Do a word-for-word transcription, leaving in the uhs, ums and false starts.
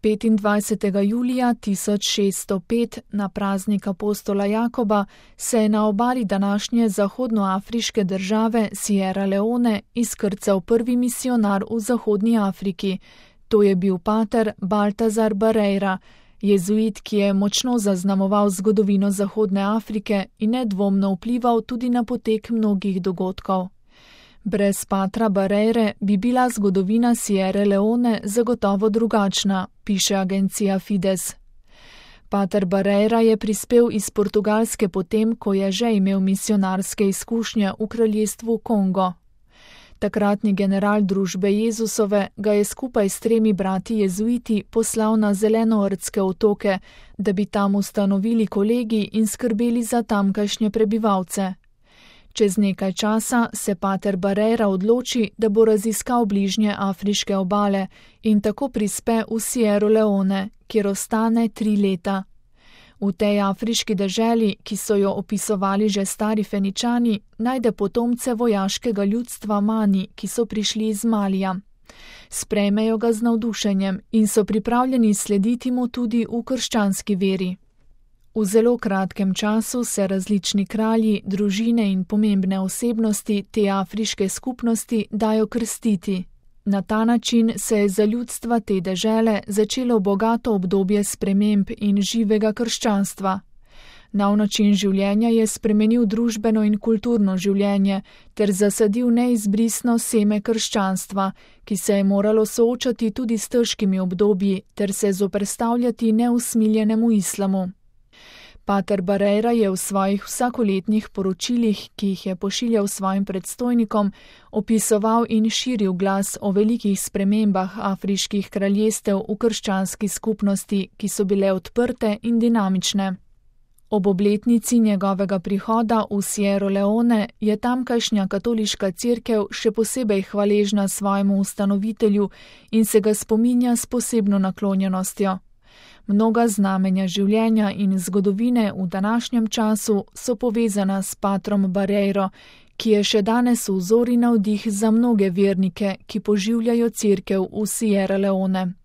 petindvajsetega julija tisoč šeststo pet na praznik apostola Jakoba se je na obali današnje zahodnoafriške države Sierra Leone izkrcal prvi misijonar v Zahodni Afriki. To je bil pater Baltazar Barreira, jezuit, ki je močno zaznamoval zgodovino Zahodne Afrike in nedvomno vplival tudi na potek mnogih dogodkov. Brez patra Barreire bi bila zgodovina Sierre Leone zagotovo drugačna, piše agencija Fides. Pater Barreira je prispel iz Portugalske potem, ko je že imel misijonarske izkušnje v kraljestvu Kongo. Takratni general družbe Jezusove ga je skupaj s tremi brati jezuiti poslal na Zelenoordske otoke, da bi tam ustanovili kolegij in skrbeli za tamkajšnje prebivalce. Čez nekaj časa se pater Barreira odloči, da bo raziskal bližnje afriške obale in tako prispe v Sierro Leone, kjer ostane tri leta. V tej afriški deželi, ki so jo opisovali že stari Feničani, najde potomce vojaškega ljudstva Mani, ki so prišli iz Malija. Sprejmejo ga z navdušenjem in so pripravljeni slediti mu tudi v krščanski veri. V zelo kratkem času se različni kralji, družine in pomembne osebnosti te afriške skupnosti dajo krstiti. Na ta način se je za ljudstva te dežele začelo bogato obdobje sprememb in živega krščanstva. Nov način življenja je spremenil družbeno in kulturno življenje ter zasadil neizbrisno seme krščanstva, ki se je moralo soočati tudi s težkimi obdobji ter se zoperstavljati neusmiljenemu islamu. Pater Barreira je v svojih vsakoletnih poročilih, ki jih je pošiljal svojim predstojnikom, opisoval in širil glas o velikih spremembah afriških kraljestev v krščanski skupnosti, ki so bile odprte in dinamične. Ob obletnici njegovega prihoda v Sierro Leone je tamkajšnja katoliška cerkev še posebej hvaležna svojemu ustanovitelju in se ga spominja s posebno naklonjenostjo. Mnoga znamenja življenja in zgodovine v današnjem času so povezana s patrom Barreiro, ki je še danes vzor in navdih za mnoge vernike, ki poživljajo cerkev v Sierra Leone.